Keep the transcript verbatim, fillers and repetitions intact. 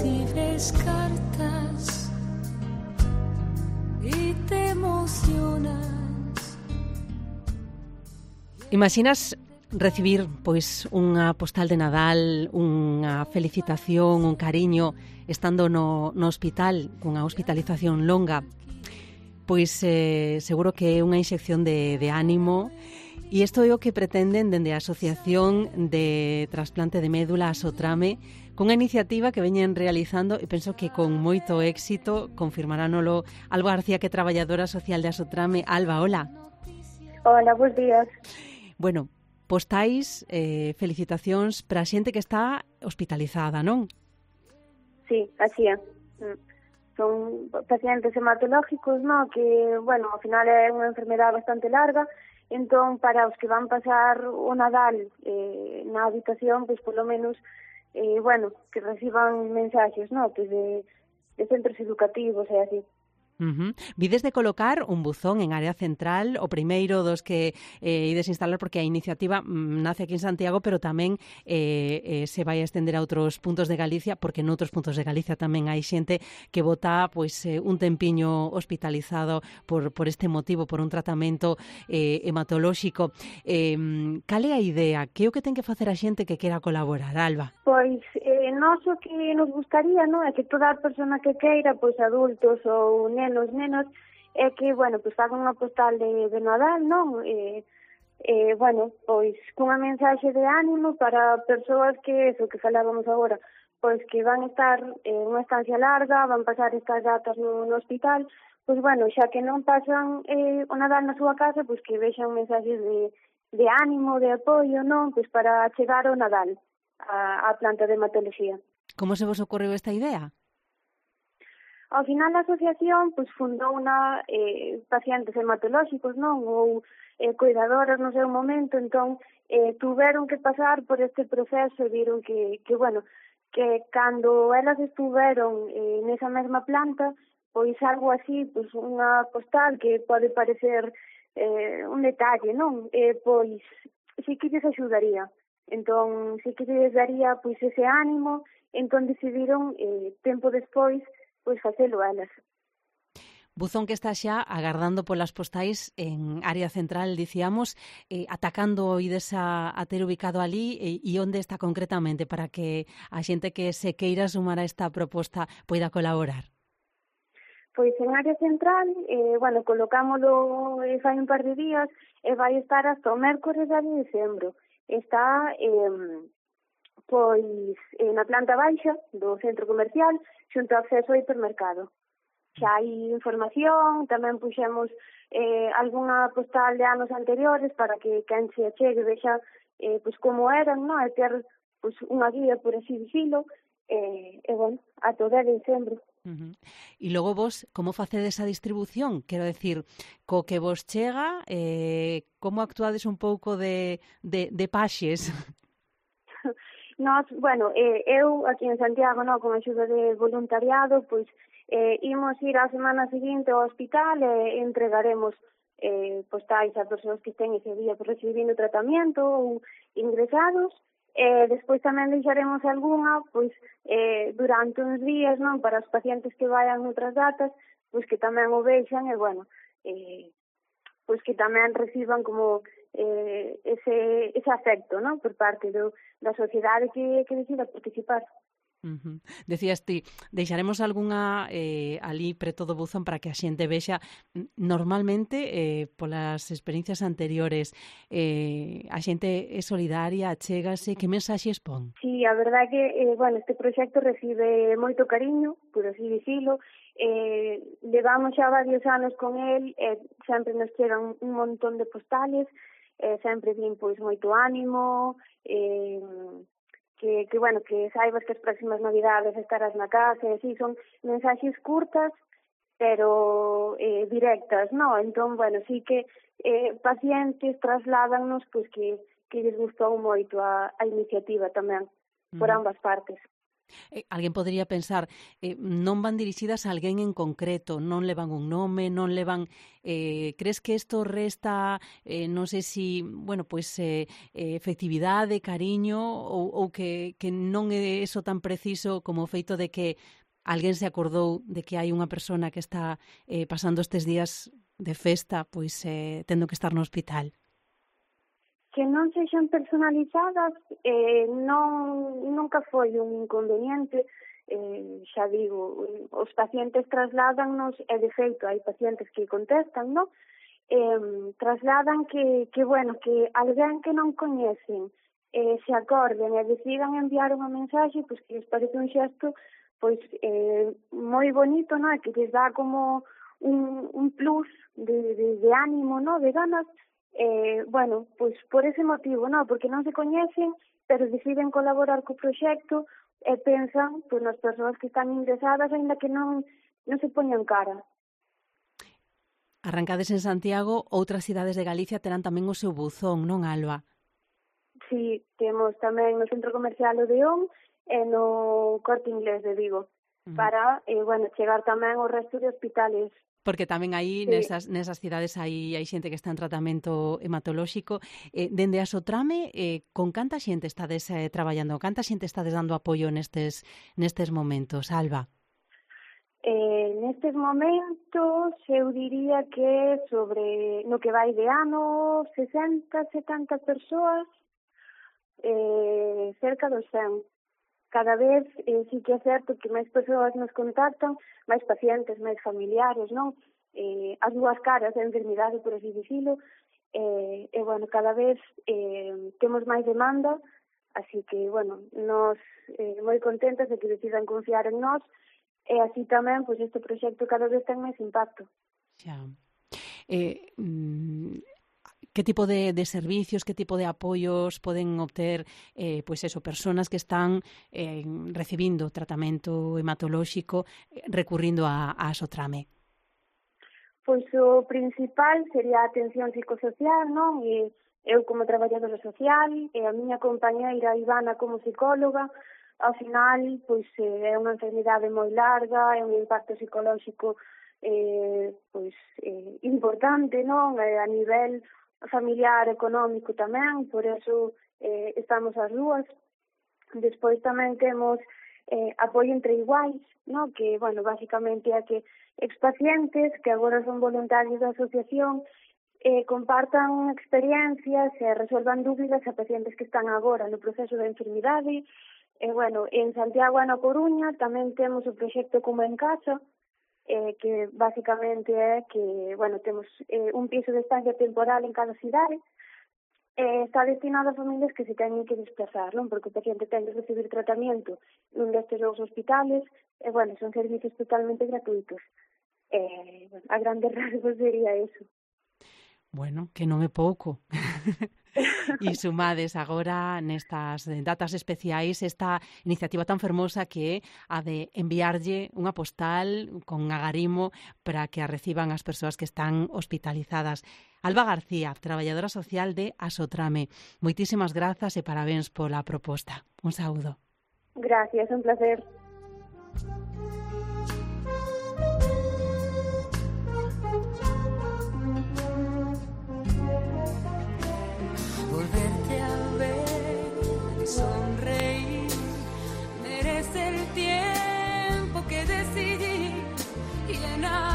recibes cartas y te emocionas. Imaginas recibir pois unha postal de Nadal, unha felicitación, un cariño, estando no, no hospital, cunha hospitalización longa? Pois eh, seguro que é unha inxección de, de ánimo. E isto é o que pretenden dende a Asociación de Trasplante de Médula Asotrame, cunha iniciativa que veñen realizando e penso que con moito éxito. Confirmaránolo Alba García, que é traballadora social de Asotrame. Alba, hola. Hola, bons días. Bueno, postais, eh, felicitacións para a xente que está hospitalizada, non? Sí, así é. Son pacientes hematológicos, non? Que, bueno, ao final é unha enfermedade bastante larga, entón, para os que van pasar o Nadal eh, na habitación, pois, polo menos, eh, bueno, que reciban mensaxes, non? Pois de, de centros educativos e así. Uh-huh. Vides de colocar un buzón en área central, o primeiro dos que eh, ides instalar, porque a iniciativa mm, nace aquí en Santiago, pero tamén eh, eh, se vai a estender a outros puntos de Galicia, porque noutros puntos de Galicia tamén hai xente que bota pois, eh, un tempiño hospitalizado por, por este motivo, por un tratamento eh, hematolóxico. Eh, cal é a idea? Que é o que ten que facer a xente que quera colaborar, Alba? Pois, eh, nós o que nos gustaría, non, é que toda a persona que queira, pois adultos ou nenos, nenos, é que, bueno, pois fagan unha postal de, de Nadal, non? Eh, eh, bueno, pois cunha mensaxe de ánimo para persoas que, eso que falábamos agora, pois que van estar en unha estancia larga, van pasar estas datas no, no hospital, pois, bueno, xa que non pasan eh, o Nadal na súa casa, pois que vexan mensaxes de, de ánimo, de apoio, non? Pois para chegar ao Nadal a, a planta de hematología. Como se vos ocorreu esta idea? Ao final, a asociación pois, fundou unha eh, pacientes hematolóxicos, non? Ou eh, cuidadoras no seu momento, entón eh, tuveron que pasar por este proceso e viron que, que, bueno, que cando elas estuveron eh, nesa mesma planta, pois algo así, pois unha postal que pode parecer eh, un detalle, non? Eh, pois sí que lles axudaría. Entón, sí que lles daría pois ese ánimo, entón decidiron eh, tempo despois pois facelo elas. Buzón que está xa agardando polas postais en área central, dicíamos, eh, atacando ides a, a ter ubicado ali e, e onde está concretamente para que a xente que se queira sumar a esta proposta poida colaborar? Pois en área central, eh, bueno, colocámolo eh, fai un par de días e vai estar hasta o mércores de dezembro. Está eh, pois eh, na planta baixa do centro comercial, xunto ao acceso ao hipermercado. Xa hai información, tamén puxemos eh, algunha postal de anos anteriores para que quen se achegue vexa eh, pois como eran, non? E ter pois, unha guía, por así dicilo, eh, e, bueno, a todo de dezembro. Uh-huh. E logo vos, como facedes a distribución? Quero decir, co que vos chega, eh, como actuades un pouco de, de, de paxes? Nos, bueno, eh, eu aquí en Santiago, no, con axuda de voluntariado, pois eh, imos ir a semana seguinte ao hospital e entregaremos eh, postais a persoas que estén ese día por recibindo tratamento ou ingresados. E despois tamén deixaremos algunha pois eh, durante uns días, non, para os pacientes que vayan outras datas, pois que tamén o vexan e, bueno, eh, pois que tamén reciban como eh, ese, ese afecto, non, por parte do, da sociedade que, que decida participar. Uh-huh. Decías ti, deixaremos algunha eh, ali preto do buzón para que a xente vexa. Normalmente, eh, polas experiencias anteriores, eh, a xente é solidaria, achégase, que mensaxes pon? Sí, a verdade é que, eh, bueno, este proxecto recibe moito cariño, por así dicilo, eh, levamos xa varios anos con el, e eh, sempre nos chegan un montón de postales, eh, sempre din, pois, moito ánimo, eh, que, que, bueno, que saibas que as próximas navidades estarás na casa, e así, son mensaxes curtas, pero eh, directas, non? Entón, bueno, sí que eh, pacientes trasládanos, pois, que, que lles gustou moito a, a iniciativa tamén, por ambas partes. Eh, alguén podría pensar, eh, non van dirixidas a alguén en concreto, non levan un nome, non levan... Eh, crees que isto resta, eh, non sei si, bueno, pois eh, eh, efectividade, cariño, ou, ou que, que non é eso tan preciso como o feito de que alguén se acordou de que hai unha persona que está eh, pasando estes días de festa, pois eh, tendo que estar no hospital? Que non sexan personalizadas eh, non, nunca foi un inconveniente, eh, xa digo, os pacientes trasládannos, e de feito hai pacientes que contestan, non? Eh, trasladan que, que, bueno, que alguén que non coñecen eh, se acorden e decidan enviar unha mensaxe, pois que les parece un xesto pois eh, moi bonito, non? Que les dá como un, un plus de, de, de ánimo, non? De ganas. Eh, bueno, pois por ese motivo, non? Porque non se coñecen, pero deciden colaborar co proxecto e pensan pois, nas persoas que están ingresadas, aínda que non, non se poñan cara. Arrancades en Santiago, outras cidades de Galicia terán tamén o seu buzón, non, Alba? Sí, temos tamén no Centro Comercial Odeón e no Corte Inglés de Vigo, uh-huh. para, eh, bueno, chegar tamén ao resto de hospitales. Porque tamén aí, sí. nesas, nesas cidades, hai, hai xente que está en tratamento hematolóxico. Eh, dende a Sotrame, eh, con canta xente estades eh, traballando? Canta xente estades dando apoio nestes, nestes momentos, Alba? Eh, nestes momentos, eu diría que sobre, no que vai de ano, sesenta, setenta persoas, eh, cerca dos cen. Cada vez eh, sí que é certo que máis persoas nos contactan, máis pacientes, máis familiares, non? Eh, as dúas caras da enfermidade, por así dicilo, e, eh, eh, bueno, cada vez eh, temos máis demanda, así que, bueno, nos eh, moi contentas de que decidan confiar en nós, e así tamén, pois, este proxecto cada vez ten máis impacto. Xa. Eh, mm... Que tipo de, de servicios, que tipo de apoios poden obter eh, pois eso, personas que están eh, recibindo tratamento hematolóxico eh, recurrindo a, a Sotrame? Pois o principal sería a atención psicosocial, non? E eu como traballadora social, e a miña compañeira Ivana como psicóloga. Ao final, pois é unha enfermidade moi larga, é un impacto psicolóxico eh, pois eh, importante, non? E a nivel familiar, económico tamén, por eso eh, estamos as dúas. Despois tamén temos eh, apoio entre iguais, no? Que, bueno, basicamente é que expacientes que agora son voluntarios da asociación eh, compartan experiencias e resolvan dúbidas a pacientes que están agora no proceso da enfermidade. E, bueno, en Santiago e na Coruña tamén temos o proxecto Como en Casa, Eh, que basicamente é que, bueno, temos eh, un piso de estancia temporal en cada cidade, eh, está destinado a familias que se teñen que desplazar, non? Porque o paciente ten que recibir tratamento nun destes dous hospitales, e, bueno, son servicios totalmente gratuitos. Eh, bueno, a grandes rasgos sería eso. Bueno, que non é pouco. E sumades agora nestas datas especiais esta iniciativa tan fermosa que é a de enviarlle unha postal con agarimo para que a reciban as persoas que están hospitalizadas. Alba García, traballadora social de Asotrame, moitísimas grazas e parabéns pola proposta. Un saúdo. Gracias, un placer.